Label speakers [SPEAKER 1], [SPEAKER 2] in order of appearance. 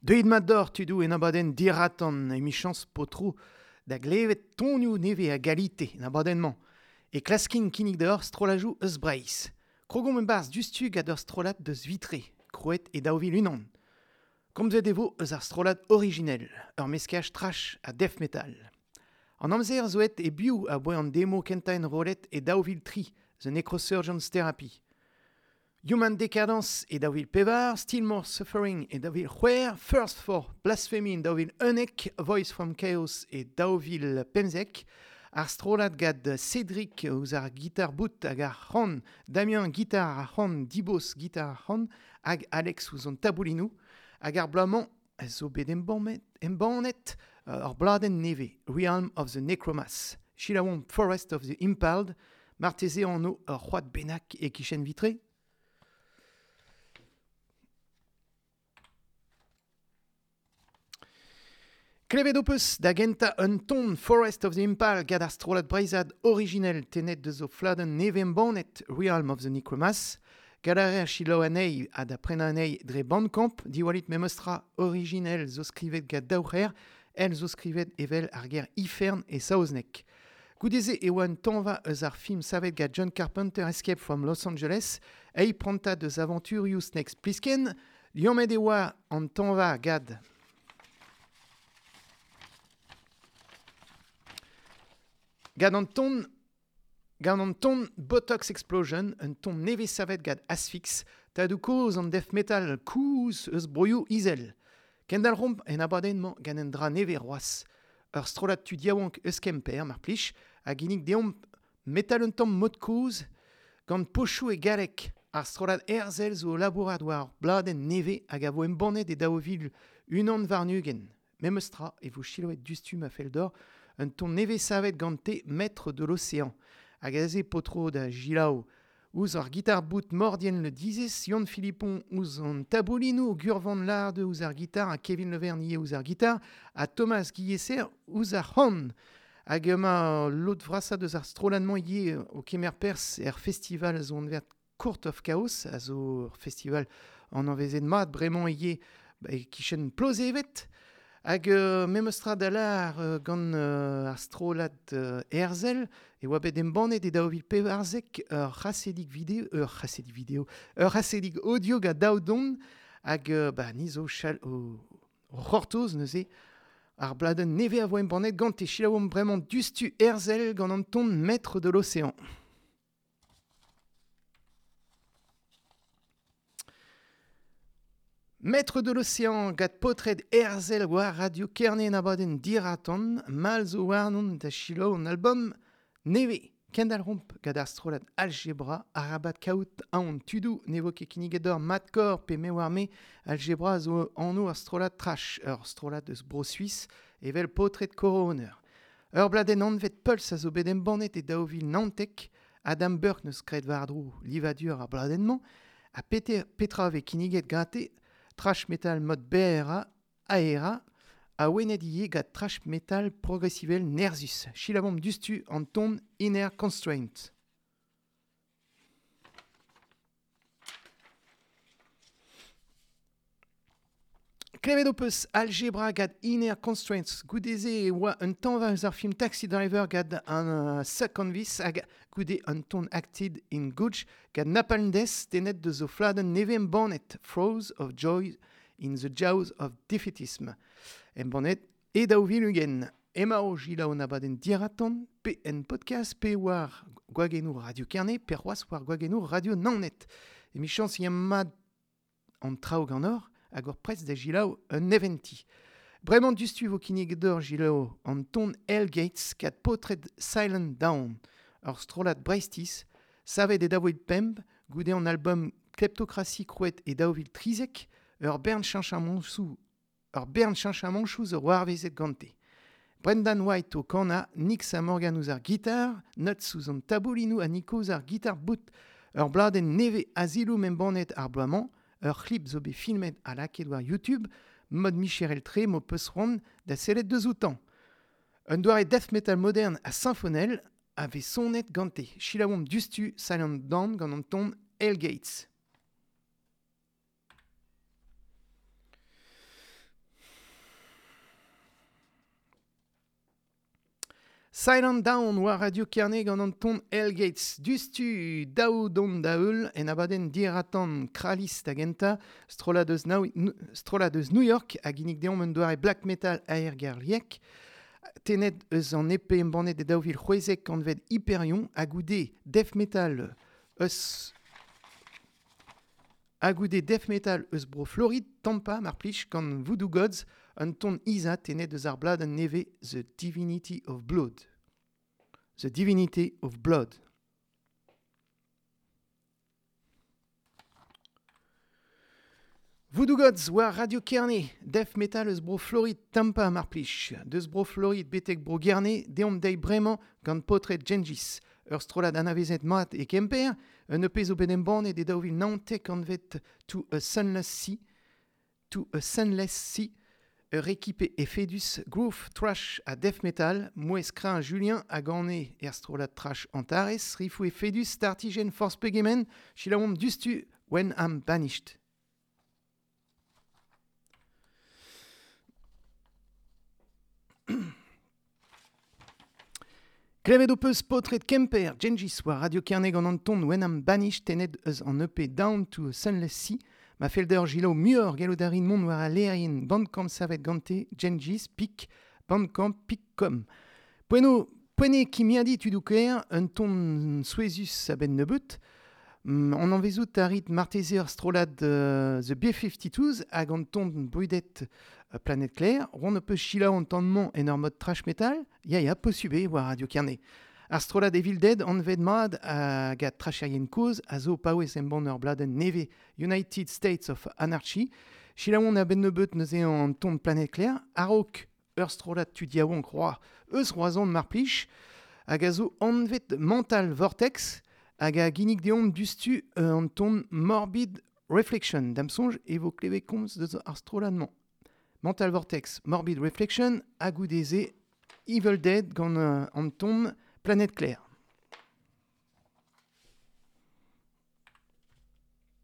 [SPEAKER 1] Deuit mat d'or tudoù en abadenn diratan emichañs potro da glevet tonioù nevez a galite en abadenn-mañ. E klaskin kinnig deoc'h strollajoù eus Breizh. Krogomp e-barzh diouzhtu gant ur strollad deus Vitré, krouet e 2001. Komzet e vo eus ar strollad originel, ur meskaj trash ha death metal. An amzer zo aet e-biou aboae an demo kentañ enrollet e 2003, The Necrosurgeon's Therapy. Human Decadence e 2004, Still More Suffering e 2006, First for Blasphemy e 2011, Voice from Chaos e 2015, ar strollad gant Cédric ouzh ar gitar bout hag ar c'han, Damien gitar ar c'han, Dibos gitar ar c'han hag Alex ouzh an taboulinoù. Hag ar bloaz-mañ a zo bet embannet ur bladenn nevez, Realm of the Necromass. Selaouomp Forest of the Impaled, marteze anv ur c'hoad bennak e-kichen Vitré. Klevet ho peus da gentañ un ton Forest of the Impal gant ar strollad breizhat originel tennet deus o fladenn nevez-embannet Realm of the Necromass. Gall a reer selaou anezhi ha da prenañ anezhi dre Bandcamp. Diwallit memes tra originel zo skrivet gant daou c'her, el zo skrivet evel ar ger ifern e saozneg. Goude-se e oa un tañva eus ar film savet gant John Carpenter Escape from Los Angeles, eil prantad eus avanturioù Snake Plissken. Liammet e oa an tañva gant Gant an ton gant an ton Botox Explosion, un ton nevez savet gant Asphyx, tadoù-kozh an death metal kozh eus broioù izel. Kendalc'homp en abadenn-mañ gant un dra nevez c'hoazh. Ur strollad tud yaouank eus Kemper, mar plij, a ginnig deomp metal un tamm mod-kozh gant pochoù e galleg. Ar strollad Herzel zo o labourat war ur bladenn nevez hag a vo embannet e 2021. Memes tra e vo selaouet diouzhtu ma fell deoc'h un ton nevez savet gante Maître de l'Océan. Hag aze paotro da Gilaou. Ouzh ar gitar-bout Mordien Le Dizez, Yann Philippon ouzh an taboulinoù, Gurvan Larde ouzh ar gitar ha Kevin Le Vernier ouzh ar gitar, ha Thomas Guilhesser ouzh ar c'han. Hag emañ lod vrasañ deus ar strollad-mañ ivez o kemer perzh er festival zo anvet Court of Chaos, a zo ur festival anavezet mat bremañ ivez e-kichen Plozeved. Hag memes tra da lâr gant ar strollad Herzel e oa bet embannet e 2014 ur c'hasedig video, ur c'hasedig video, ur c'hasedig audio gant daou don hag bah, ni zo chal o, o c'hortoz neuze ar bladenn nevez a vo embannet gante. Selaouomp bremañ diouzhtu Herzel gant an ton Maître de l'océan. Maître de l'Océan gant paotred Herzel war Radio Kerne en abadenn Diraton, mall zo warnon da selaou an album nevez. Kendalc'homp gant ar strollad Algebra, arabat kaout aon tudoù ne vo ket kinniget deoc'h Madcore pe me oar-me. Algebra zo anv ar strollad trash, ur strollad eus Bro-Suis evel paotred Coroner. Ur bladenn anvet Pulse a zo bet embannet e 2019. Adam Burke n'eus graet war-dro livadur ar bladenn-mañ ha petra a vez kinniget gante trash metal mod berrañ aerañ awenet ivez gant trash metal progresivel nerzhus. Selaouomp diouzhtu an ton Inner Constraint. Klevet ho peus Algebra gant Inner Constraints. Goude-se e oa un tañva eus ar film Taxi Driver gant an Second Vice hag goude un ton Acted in Gouch gant Napalm Death tennet deus o fladenn nevez embannet Throes of Joy in the Jaws of Defeatism. Embannet e 2020. Emañ o selaou an abadenn Diraton pe en podcast pe war gwagennoù Radio Kerne pe c'hoazh war gwagennoù Radio Naoned. Emichañs eo mat an traoù ganeoc'h hag hor prest da selaou un neventi. Bremañ diouzhtu e vo kinniget deoc'h selaou an ton Hell Gates gant paotred Silent Down, ur strollad Breizhtiz savet e 2005 goude an album Kleptocracy krouet e 2013, ur bern cheñchamantoù ur bern cheñchamantoù zo c'hoarvezet gante. Brendan White o kanañ, Nick Morgan ouzh ar gitar, Nuts ouzh an taboulinoù ha Nico ouzh ar gitar bout. Ur bladenn nevez Asylum embannet ar bloaz-mañ, ur c'hlip zo bet filmet ha lakaet war YouTube, mod micherel-tre m'ho peus c'hoant da sellet deus outañ. Un doare death metal modern ha sinfonel a vez sonet gante. Selaouomp diouzhtu Silent Dawn gant an ton Hell Gates. Silent Down war Radio Kerne gant an ton Hellgates. Dustu daou dont da eul en abadenn diratan Kralis da genta, strollad eus, strollad eus New York hag ginnig deomp un doare black metal aergerliek. Tenet eus an EP embannet e daou vil c'hwezek anvet Hyperion ha goude death metal eus ha goude death metal eus bro Florid, Tampa mar plij gant Voodoo Gods, un ton Isa tenet eus ar bladenn nevez The Divinity of Blood. The Divinity of Blood. Voodoo Gods war Radio Kerne, death metal eus bro Florid, Tampa mar plij. Deus bro Florid betek bro Gerne, deomp deiz bremañ gant paotred Gengis. Ur strollad anavezet mat e Kemper, un EP zo bet embannet e 2019 anvet To a Sunless Sea, To a Sunless Sea, ur ekipe efedus groove, thrash ha death metal, mouezh kreñv Julien hag anez er strollad thrash Antares, rifoù efedus, startijenn forzh pegement, selaouomp diouzhtu When I'm Banished. Klevet ho peus paotred Kemper, Gengis war Radio Kerne gant an ton When I'm Banished tennet eus an EP Down to a Sunless Sea. Ma fell deoc'h selaou muioc'h gallout a rin mont war al lec'hienn Bandcamp savet gante Gengis pik bandcamp pik.com. Poent poent eo kimiadiñ tudoù kaer, un ton souezhus a-benn nebeut. On anvezout a rit marteze ur strollad The B-52s hag an ton brudet Planète Claire. Roont ho peus selaou an ton-mañ en ur mod thrash metal? Ya, ya, posubl eo war Radio Kerne. Ar strollad Evil Dead anvet mat hag a trasherien kozh a zo paouez embann ur bladenn nevez United States of Anarchy. Selaouomp a-benn nebeut neuze an ton Planète Claire. A-raok ur strollad tud yaouank roa eus Roazhon mar plij hag a zo anvet Mental Vortex hag a ginnig deomp diouzhtu an ton Morbid Reflection. Da'm soñj e vo klevet komz deus ar strollad-mañ. Mental Vortex, Morbid Reflection, ha goude-se Evil Dead gant an ton Planète Claire.